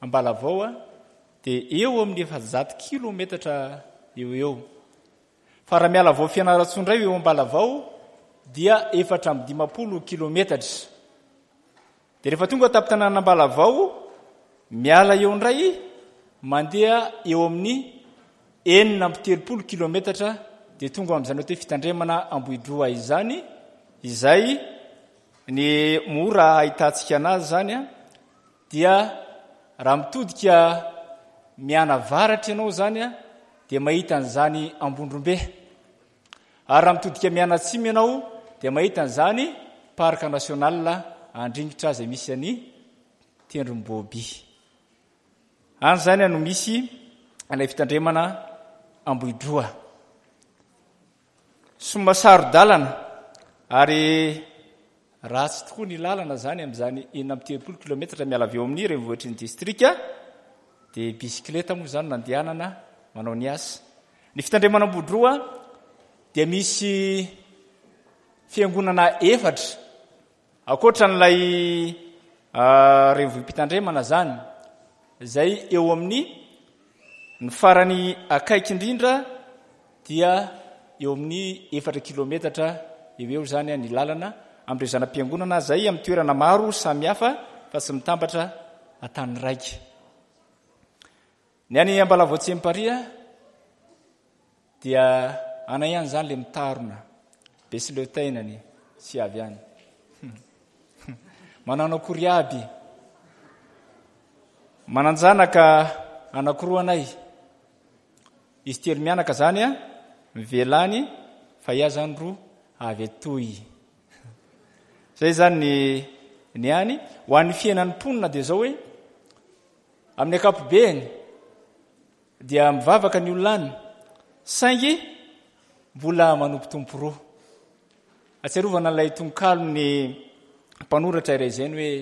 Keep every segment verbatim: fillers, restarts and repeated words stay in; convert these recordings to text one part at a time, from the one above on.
Ambalavao dia eo amin'ny efajato kilometatra eo eo. Fa raha miala avy ao Fianarantsoa indray eo Ambalavao dia efatra amby dimampolo kilometatra. Dia rehefa tonga tampon-tanàna Ambalavao, miala eo indray mandeha eo amin'ny enina amby telopolo kilometatra dia tonga amin'izany atao hoe fitandremana Ambohidroa izany, izay ny mora ahitantsika anazy izany dia raha mitodika mianavaratra ianao izany dia mahita an'izany Ambondrombe, ary raha mitodika mianatsimo ianao dia mahita an'izany parc national Andringitra izay misy any Tendromboby. Any izany no misy ilay fitandremana Ambohidroa. Somary saro-dalana ary ratsy tokoa ny lalana izany amin'izany enina amby telopolo kilometatra miala avy eo amin'ny renivohitry ny distrika, dia bisikileta moa izany nandehanana manao ny asa. Ny fitandremana Ambohidroa dia misy fiangonana efatra ankoatra an'ilay renivohi-pitandremana izany, izay eo amin'ny ny farany akaiky indrindra dia eo amin'ny efatra kilometatra eo eo izany ny lalana amin'ireo zana-piangonana izay amin'ny toerana maro samihafa fa tsy mitambatra an-tany raika. Ny any Ambalavao Tsiamparia dia anay ihany izany ilay mitarona be sy leo tainany sy avy any. Manano akory aby. Manan-janaka anankiroa anay. Izy telo mianaka izany a, mivelany fa ia izany roa avy atoy. Izay izany ny, ny any. Ho an'ny fiainan'ny mponina dia izao hoe, amin'ny ankapobeny dia mivavaka ny olona any, saingy mbola manompo tompo roa. Atsiarovana ilay tononkalon'ny mpanoratra iray izay ny hoe,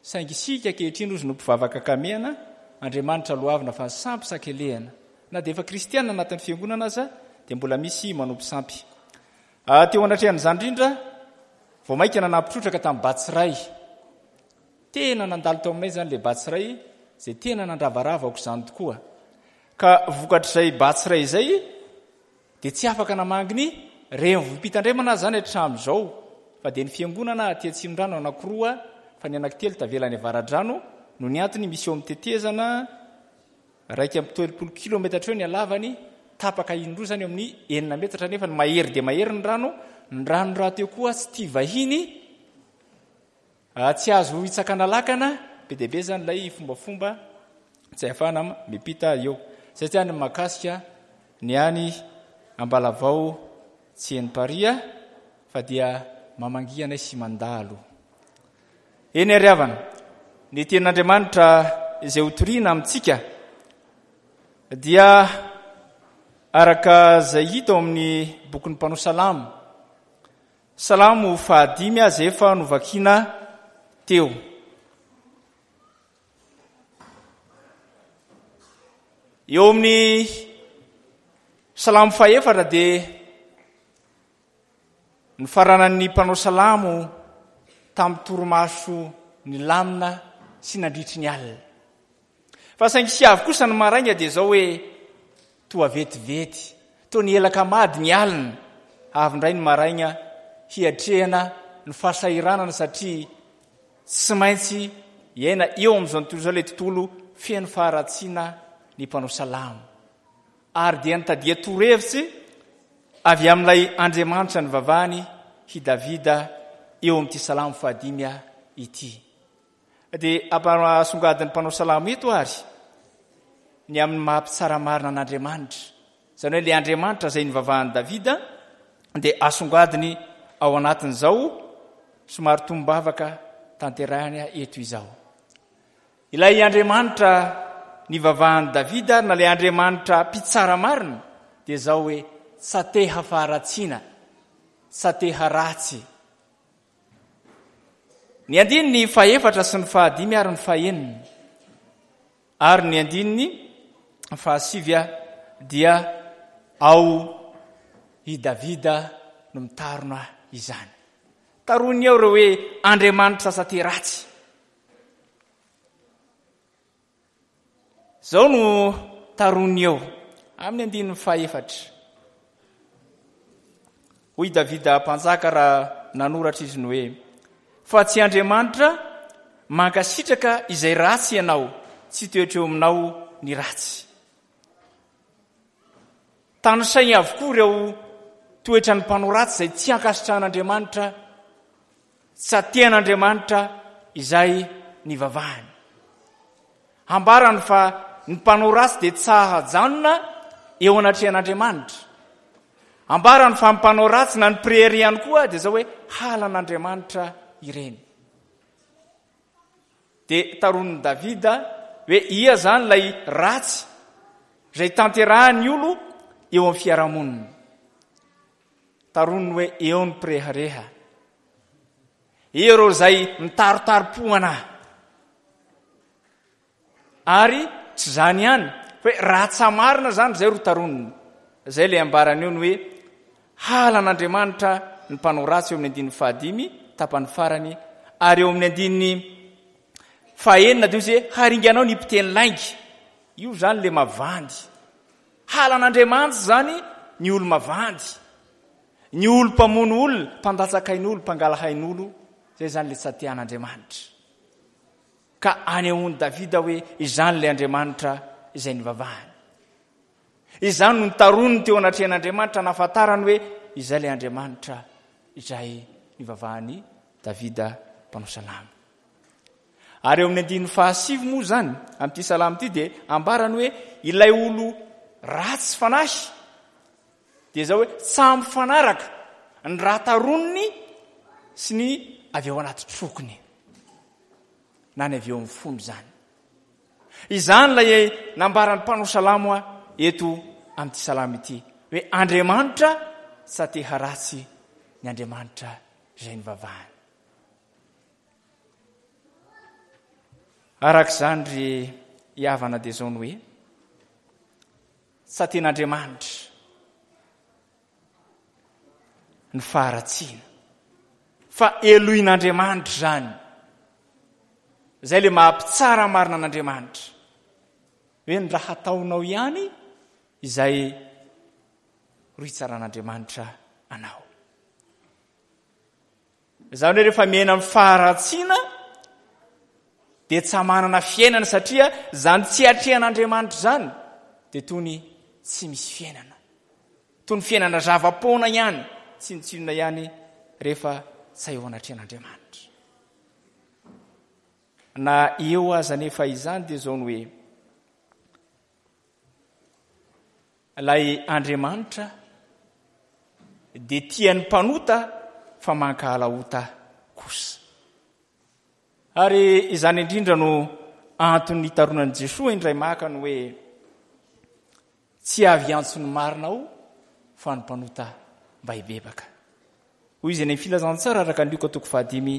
saingy isika ankehitriny ozy no mpivavaka kamehana, Andriamanitra loavina fa ny sampy sakelehana. Na dia efa kristiana anatin'ny fiangonana aza dia mbola misy manompo sampy. Ah, teo anatrehan'izany indrindra vao mainka nanampy trotraka tamin'ny Batsiray. Tena nandalo tao aminay izany ilay Batsiray, izay tena nandravarava aok'izany tokoa. Ka vokatr'izay Batsiray izay dia tsy afaka namangy ny renivohi-pitandremana aza izany hatramin'izao, fa dia ny fiangonana aty Atsimondrano anankiroa fa ny anankitelo tavela any Avaradrano no ny antony misy eo amin'ny tetezana iraika amby telopolo kilometatra eo ny halavany, tapaka indroa izany eo amin'ny enina metatra, nefa ny mahery dia mahery ny rano, ny rano rahateo koa tsy tia vahiny, tsy azo hitsakana lakana, be dia be izany ilay fombafomba tsy ahafahana miampita eo. Izay tsy any mahakasika ny any Ambalavao tsy eny Paris fa dia mamangia anay sy mandalo. Eny ary havana, ny tenin'Andriamanitra izay hotorina amintsika dia araka izay hita ao amin'ny bokin'ny mpanao salamo. Salamo fahadimy aza efa novakiana teo. Eo amin'ny salamo fahefatra dia nifaranan'ny mpanao salamo tamin'ny torimaso nilamina sy nandritry ny alina. Fa saingy sy avy kosa ny maraina dia izao hoe toa vetivety, toa nielaka mady ny alina, avy indray ny maraina hiatrehana ny fahasahiranana satria tsy maintsy hiaina eo amin'izao tontolo izao ilay tontolo feno faharatsiana ny mpanao salamo. Ary dia nitadia torohevitsy avy amin'ilay Andriamanitra nivavahany i Davida eo amin'ity salamo fahadimy ity. Dia ampasongadin'ny mpanao salamo eto ary ny amin'ny maha mpitsara marina an'Andriamanitra. Izany hoe ilay Andriamanitra izay nivavahan'i Davida dia asongadiny ao anatin'izao somary tombavaka tanterahiny eto izao. Ilay Andriamanitra nivavahan'i Davida ary na ilay Andriamanitra mpitsara marina dia izao hoe tsateha faharatsiana, tsateha ratsy. Ny andininy fahefatra sy ny fahadimy ary ny fahenina ary ny andininy fahasivy dia ao i Davida no mitarona izany. Taroiny ao ireo hoe Andriamanitra sate ratsy. Izao no taroniny eo amin'ny andininy fahefatra. Hoy Davida mpanjaka raha nanoratra izy ny hoe: Fa tsy Andriamanitra mankasitraka izay ratsy ianao, tsy toetra eo aminao ny ratsy. Tanisainy avokoa ireo toetran'ny mpanao ratsy izay tsy ankasitrahan'Andriamanitra, tsy atehan'Andriamanitra izay nivavahany. Ambarany fa ny mpanao ratsy dia tsy hahajanona eo anatrehan'Andriamanitra. Ambarany fa ny mpanao ratsy na ny mpirehareha ihany koa dia izao hoe halan'Andriamanitra ireny. Dia taronin'i Davida hoe ia izany ilay ratsy izay tanterahan'ny olo eo amin'ny fiarahamonina. Taroniny hoe eo ny mpirehareha, eo ireo izay mitarotari-pohana. Ary tsy izany ihany, fa hoe raha tsy marina izany izay ro taroniny. Izay ilay ambarany eo ny hoe halan'Andriamanitra ny mpanao ratsy eo amin'ny andininy fahadimy tapany farany, ary eo amin'ny andininy fahenina dia izy hoe haringanao ny mpiteny lainga. Io izany ilay mavandy. Halan'Andriamanitra izany ny olo mavandy, ny olo mpamono olona, mpandatsaka ain'olo, mpangala hain'olo, izay izany ilay tsy atian'Andriamanitra. Ka anehoan'i Davida hoe izany ilay Andriamanitra izay nivavahany. Izany no nitaroniny teo anatrehan'Andriamanitra nahafantarany hoe izay ilay Andriamanitra izay nivavahan'i Davida mpanao salamo. Ary eo amin'ny andininy fahasivy moa izany, amin'ity salamo ity dia ambarany hoe ilay olo ratsy fanahy dia izao hoe tsy mifanaraka ny raha taroniny sy ny avy ao anaty trokony na ny avy eo amin'ny fony izany. Izany ilay nambaran'ny mpanao salamo eto amin'ity salamo ity hoe Andriamanitra tsy te haratsy ny Andriamanitra izay nivavahany. Araka izany ry havana dia izao ny hoe tsy tian'Andriamanitra ny faharatsiana fa helohin'Andriamanitra izany. Izay ilay maha-mpitsara marina an'Andriamanitra. Hoe ny raha ataonao ihany izay ro hitsaran'Andriamanitra anao. Izany hoe rehefa miaina amin'ny faharatsiana dia tsy manana fiainana, satria izany tsy atrehan'Andriamanitra izany dia toy ny tsy misy fiainana. Toy ny fiainana zava-poana ihany, tsinontsinona ihany rehefa tsy eo anatrehan'Andriamanitra. Na eo aza nefa izany dia izao ny hoe ilay Andriamanitra dia tian'ny mpanota fa mankahala ota kosa. Ary izany indrindra no antony nitaronan'i Jesoa indray maka ny hoe tsy avy hiantso ny marina aho fa ny mpanota mba hibebaka. Hoy izy any amin'ny filazantsara araka ny Lioka toko fahadimy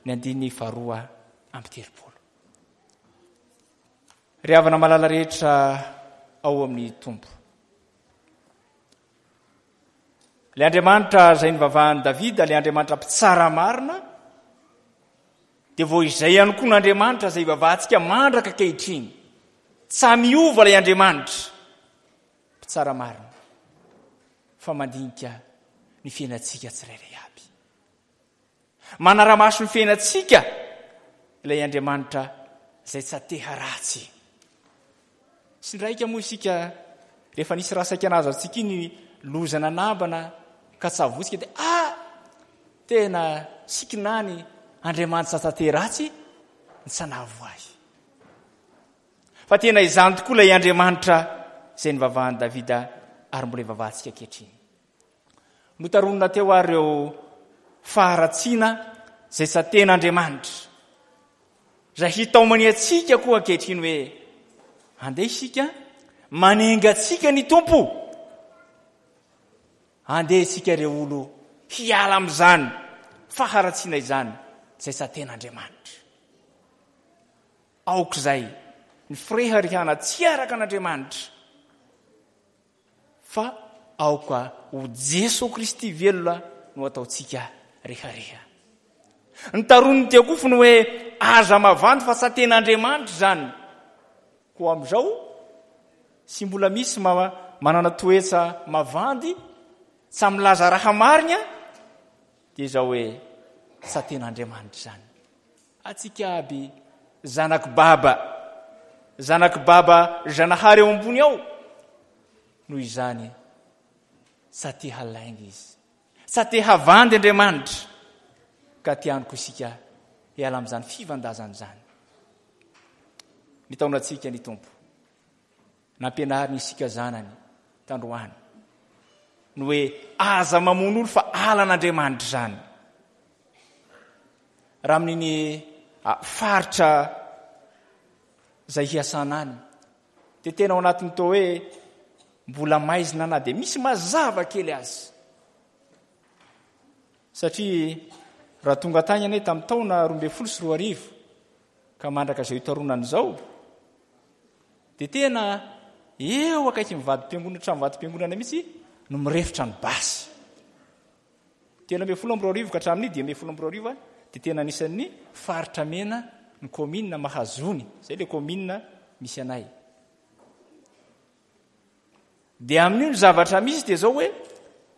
ny andininy faharoa amby telopolo. Ry havana malala rehetra ao amin'ny Tompo. Ilay Andriamanitra izay nivavahan'i Davida, ilay Andriamanitra mpitsara marina, dia vao izay ihany koa n'Andriamanitra izay ivavahantsika mandraka ankehitriny. Tsy miova ilay Andriamanitra mpitsara marina, fa mandinika ny fiainantsika tsirairay aby. Manara-maso ny fiainantsika ilay Andriamanitra izay tsy te haratsy. Sy ndraika moa isika rehefa nisy raha saika nahazo antsika iny loza nanambana ka tsy avotsika dia ah tena sikinany Andriamanitra tsy te ratsy ny tsy hanavo ahy. Fa tena izany tokoa ilay Andriamanitra izay nivavahan'i Davida ary mbola ivavahantsika ankehitriny. Notaronina teo ary ireo faharatsiana izay tsy ten'Andriamanitra. Izay hitaomany antsika koa ankehitriny hoe andeha isika manenga antsika ny Tompo. Andeha isika ireo olo hiala amin'izany faharatsiana izany izay tsy ten'Andriamanitra. Aoka izay ny fireharehana tsy araka an'Andriamanitra, fa aoka ho Jesoa Kristy velona no ataontsika rehareha. Ny taron'ny tiako ny hoe aza mavandy fa tsy ten'Andriamanitra izany. Koa amin'izao sy mbola misy manana toetsa mavandy, tsy milaza raha marina, dia izao hoe sa tena Andriamanitra izany. Atsika aby zanak'i Baba, zanak'i Baba Zanahary eo ambony ao. Noho izany sa te halainga izy, sa te havandy Andriamanitra, ka tiany koa isika hiala amin'izany fivandazana izany. Mitaona antsika ny Tompo, nampianariny isika zanany tandroany ny hoe aza mamono olo fa alan'Andriamanitra izany. Raha amin'iny faritra izay hiasana any dia tena ao anatin'ny toa hoe mbola maizina na dia misy mazava kely azy, satria raha tonga tany anay tamin'ny taona roa ambin'ny folo sy roa arivo ka mandraka izao itaronana izao dia tena eo akaiky mivadi-piangonana, trano mivadi-piangonana mihitsy no mirefotra ny basy. Telo ambin'ny folo amby roa arivo ka hatramin'ny dimy ambin'ny folo amby roa arivo dia tena anisan'ny faritra mena ny commune Mahazony, izay ilay commune misy anay. Dia amin'io ny zavatra misy dia izao hoe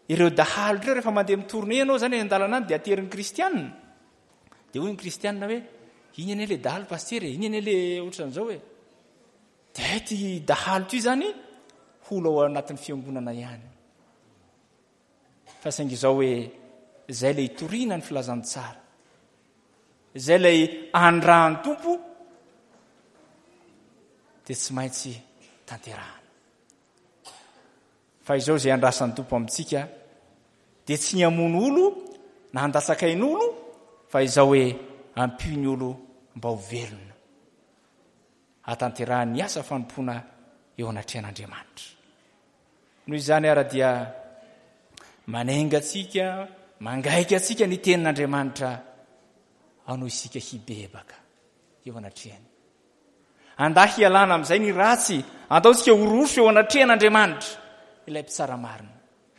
ireo dahalo ireo rehefa mandeha mitourne ianao zany any an-dalana any dia aterin'ny kristianina. Dia hoy ny kristianina hoe iny anie le dahalo pasteur, iny anie le ohatran'izao hoe. Dia ty dahalo ty zany holo ao anatin'ny fiangonana ihany. Fa saingy izao hoe izay ilay itoriana ny filazantsara, izay ilay andrahan'ny Tompo dia tsy maintsy tanterahana. Fa izao izay andrasan'ny Tompo amintsika dia tsy ny hamono olo na handatsaka ain'olo, fa izao hoe ampio ny olo mba ho velona hatanterahany ny asa fanompoana eo anatrehan'Andriamanitra. Noho izany ara dia manenga antsika, mangaika antsika ny tenin'Andriamanitra ao isika hibebaka eo anatrehany. Andahy hialana amin'izay ny ratsy, andao isika ho roso eo anatrehan'Andriamanitra ilay mpitsara marina,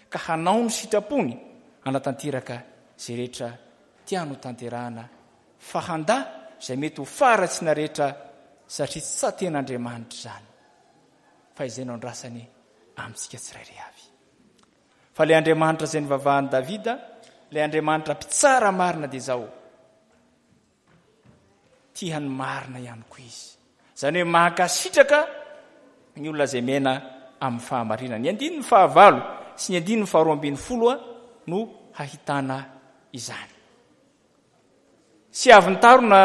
ka hanao ny sitrapony hanatanteraka izay rehetra tiany ho tanterahana, fa handà izay mety ho faharatsiana rehetra, satria tsy tsaten'Andriamanitra izany, fa izay no andrasany amintsika tsirairay avy. Fa ilay Andriamanitra izay nivavahan'i Davida, ilay Andriamanitra mpitsara marina dia izao, tia ny marina ihany koa izy. Izany hoe mankasitraka ny olona izay miaina amin'ny fahamarinana. Ny andininy fahavalo sy ny andininy faharoa ambin'ny folo no hahitana izany. Tsy avy nitarona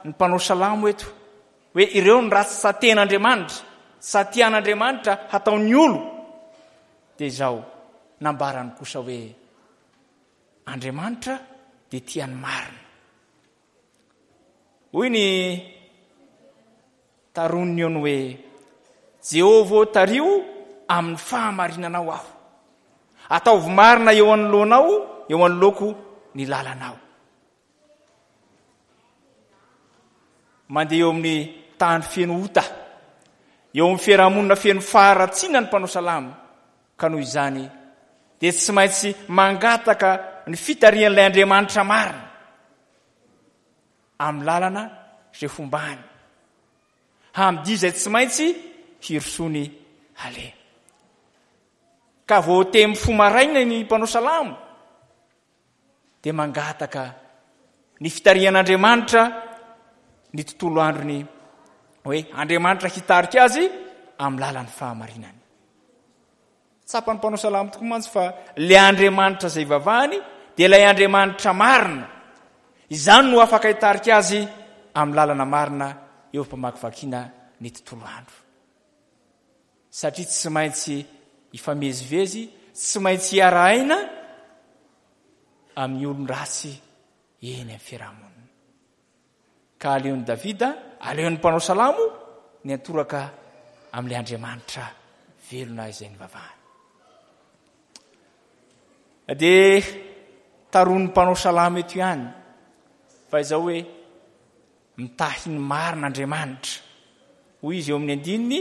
ny mpanao salamo eto hoe ireo ny ratsy tsaten'Andriamanitra, tsatian'Andriamanitra hataon'ny olo, dia izao nambarany kosa hoe Andriamanitra dia tia ny marina. Hoy ny taroniny eo ny hoe Jehovah tario amin'ny fahamarinanao aho, ataovy marina eo anoloanao, eo anoloako ny lalanao. Mandeha eo amin'ny tany feno ota, eo amin'ny fiarahamonina feno faharatsiana ny mpanao salamo, ka noho izany dia tsy maintsy mangataka ny fitarihan'ilay Andriamanitra marina amin'ny lalana izay fombany, hamdia izay tsy maintsy hirosony aleha. Ka vao te mifoha maraina ny mpanao salamo dia mangataka ny fitarihan'Andriamanitra ny tontolo androny, hoe Andriamanitra hitarika azy amin'ny lalan'ny fahamarinany. Tsapan'ny mpanao salamo tokoa mantsy fa ilay Andriamanitra izay ivavahany dia ilay Andriamanitra marina. Izany no afaka hitarika azy amin'ny lalana marina eo am-pamakivakiana ny tontolo andro. Satria tsy maintsy hifamezivezy, tsy maintsy hiara-aina amin'ny olon-dratsy eny amin'ny fiarahamonina. Ka aleon'i Davida, aleon'ny mpanao salamo ny antoraka amin'ilay Andriamanitra velona izay nivavahany. Dia taron'ny mpanao salamo eto ihany fa izao hoe mitahy ny marina Andriamanitra. Hoy izy eo amin'ny andininy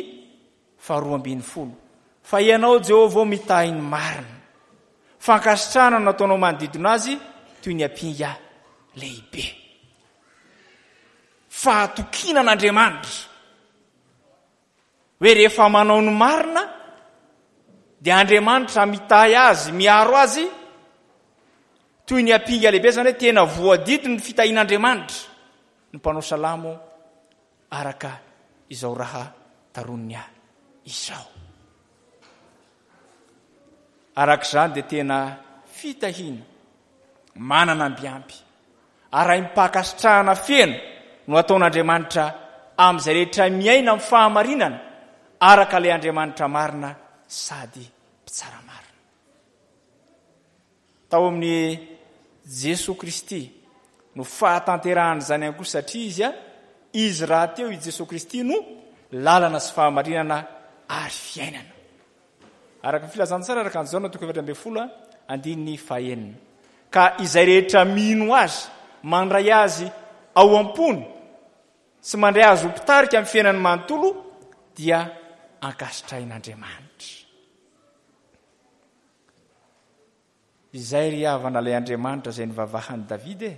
faharoa ambin'ny folo, fa ianao Jehovah mitahy ny marina. Fankasitrahana no nataonao manodidina azy toy ny ampinga lehibe. Fahatokiana an'Andriamanitra. Hoe rehefa manao ny marina dia Andriamanitra mitahy azy, miaro azy toy ny ampinga lehibe, izany hoe tena voadidy ny fitahian'Andriamanitra ny mpanao salamo araka izao raha taroniny ahy izao. Araka izany dia tena fitahiana manana ambiampy arahim-pankasitrahana feno no ataon'Andriamanitra amin'izay rehetra miaina amin'ny fahamarinana araka ilay Andriamanitra marina sady mpitsara marina. Tao amin'ny Jesoa Kristy no fahatanterahan'izany ihany koa, satria izy a izy rahateo i Jesoa Kristy no lalana sy fahamarinana ary fiainana. Araka ny filazantsara araka an'i Jaona toko efatra ambin'ny folo andininy fahenina. Ka izay rehetra mino azy, mandray azy ao am-pony sy mandray azy ho mpitarika amin'ny fiainany manontolo dia ankasitrahin'Andriamanitra. Izay ry havana ilay Andriamanitra izay nivavahan'i Davida e.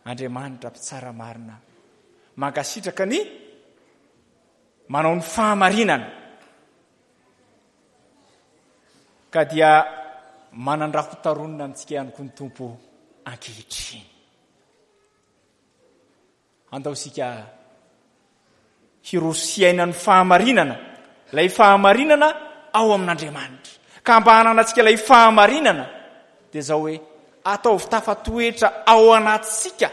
Andriamanitra mpitsara marina, mankasitraka ny manao ny fahamarinana. Ka dia manan-draha ho taronina amintsika ihany koa ny Tompo ankehitriny. Andao isika hiroso hiaina ny fahamarinana, ilay fahamarinana ao amin'Andriamanitra. Ka mba hananantsika ilay fahamarinana dia izao hoe ataovy tafatoetra ao anatintsika,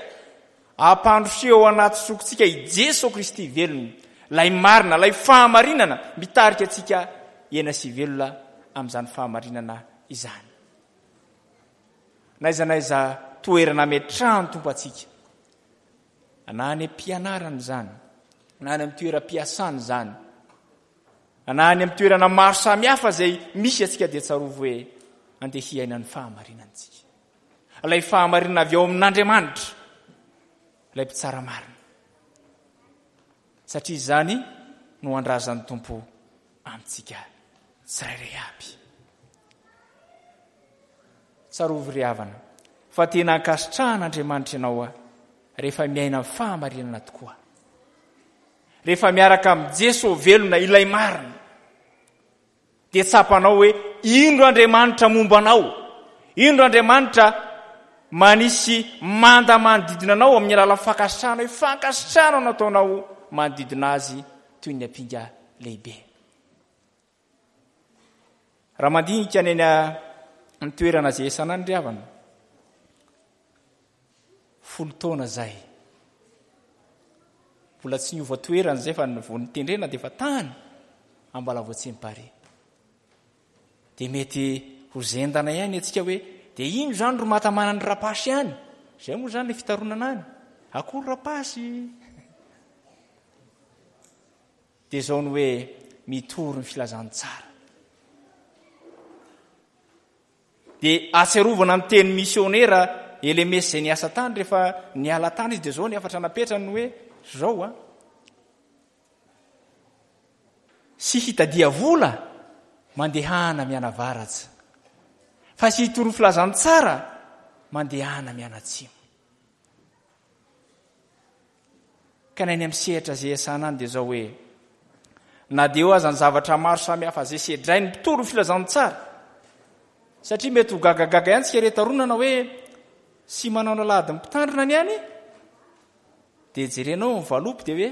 ampandrosoy ao anaty sokontsika i Jesoa Kristy velona, ilay marina, ilay fahamarinana mitarika antsika hiaina sy hivelona amin'izany fahamarinana izany. N'aiza n'aiza toerana ametrahan'ny Tompo antsika, na any am-pianarana izany, na any amin'ny toeram-piasana izany, na any amin'ny toerana maro samihafa izay misy antsika, dia tsarovy hoe andeha hiaina ny fahamarinantsika. Ilay fahamarinana avy ao amin'Andriamanitra, ilay mpitsara marina. Satria izany no andrazan'ny Tompo amintsika tsirairay aby. Tsarovy ry havana fa tena ankasitrahan'Andriamanitra ianao rehefa miaina amin'ny fahamarinana tokoa. Rehefa miaraka amin'i Jesoa velona ilay marina, dia tsapanao hoe indro Andriamanitra momba anao, indro Andriamanitra manisy manda manodidina anao amin'ny alalan'ny fankasitrahana, hoe fankasitrahana no ataonao manodidina azy toy ny ampinga lehibe. Raha mandinika ny any amin'ny toerana izay iasana any ry havana, folo taona izay, mbola tsy niova toerana izay fa vao nitendrena dia efa tany Ambalavoatsempare. Dia mety ho zendana ihany antsika hoe dia ino izany ro matamana ny rapasy any? Izay moa izany ilay fitaronana any. Akory rapasy. Dia izao ny hoe mitory ny filazantsara. Dia ahatsiarovana ny teny misionera Elemesy izay niasa tany rehefa niala tany izy, dia izao ny hafatra napetrany ny hoe izao a. Sy hitadia vola mandehana mianavaratra, fa sy hitory ny filazantsara mandehana mianatsimo. Ka na eny amin'ny sehatra izay iasana any dia izao hoe, na dia eo aza ny zavatra maro samihafa izay sedrain'ny mpitory ny filazantsara, satria mety ho gagagaga ihany tsika retaronana hoe sy manao ny alahadin'ny mpitandrina ny any, dia jerenao ny valopy dia hoe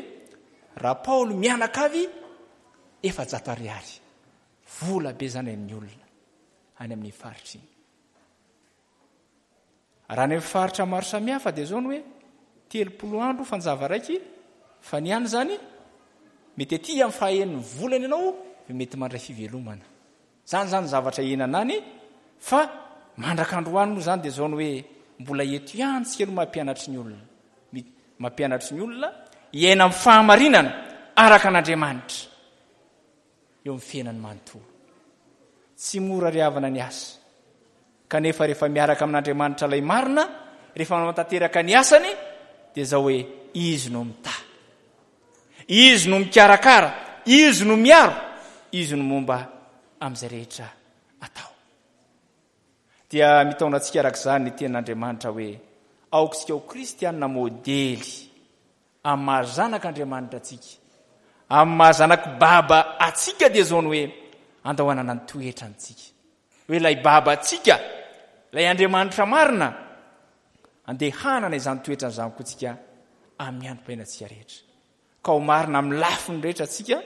Rapaoly mianakavy efajato ariary. Vola be izany amin'ny olona any amin'ny faritra iny. Raha any amin'ny faritra maro samihafa dia izao ny hoe telopolo andro fanjava raiky, fa ny any izany mety aty amin'ny fahaenin'ny volana ianao dia mety mandray fivelomana. Izany izany zavatra iainana any, fa mandrak'androany moa izany dia izao ny hoe mbola eto ihany tsika no mampianatry ny olona. Mampianatry ny olona hiaina amin'ny fahamarinana araka an'Andriamanitra eo amin'ny fiainany manontolo. Tsy mora ry havana ny asa. Kanefa rehefa miaraka amin'Andriamanitra ilay marina, rehefa manatanteraka ny asany, dia izao hoe izy no mitahy. Izy no mikarakara, izy no miaro, izy no momba amin'izay rehetra atao. Dia mitaona antsika araka izany ny tenin'Andriamanitra hoe aoka isika ho kristianina modely amin'ny maha zanak'Andriamanitra antsika, Amin'ny maha zanak'i Baba antsika dia izao ny hoe andao hanana ny toetrantsika. Hoe ilay Babantsika, ilay Andriamanitra marina, andeha hanana izany toetrany izany koa tsika amin'ny androm-piainantsika rehetra. Ka ho marina amin'ny lafiny rehetra tsika,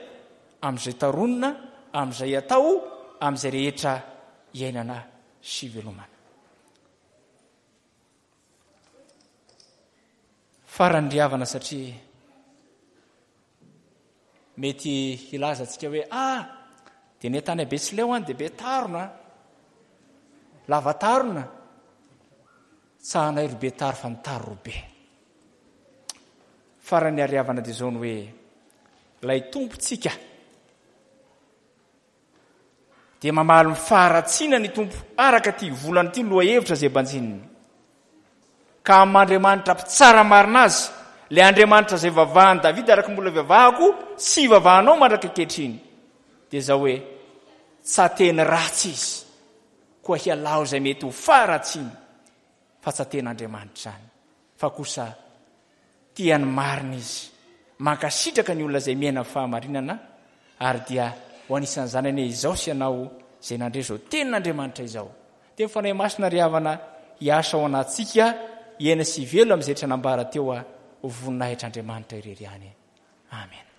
amin'izay taronina, amin'izay atao, amin'izay rehetra iainana sy velomana. Farany ry havana satria mety hilaza antsika hoe ah dia ny tany Betsileo any dia be tarona, lava tarona, tsahanay ro be taro fa ny taro ro be. Farany ary havana dia izao ny hoe ilay Tompontsika dia mamaly ny faharatsiana ny Tompo araka ity volana ity lohahevitra izay banjininy. Ka amin'Andriamanitra mpitsara marina azy, ilay Andriamanitra izay vavahan'i Davida araka mbola vavahako sy vavahanao mandraka ankehitriny, dia izao hoe tsa teny ratsy izy, koa hialao izay mety ho faharatsiany, fa tsa tena Andriamanitra izany, fa kosa tia ny marina izy, mankasitraka ny olona izay miaina fahamarinana, ary dia ho anisan'izany anie izao sy ianao izay nandre izao tenin'Andriamanitra izao. Dia ny Fanahy Masina ry havana hiasa ao anatintsika, hiaina sy hivelona amin'izay rehetra nambara teo ho voninahitr'Andriamanitra irery ihany. Amen.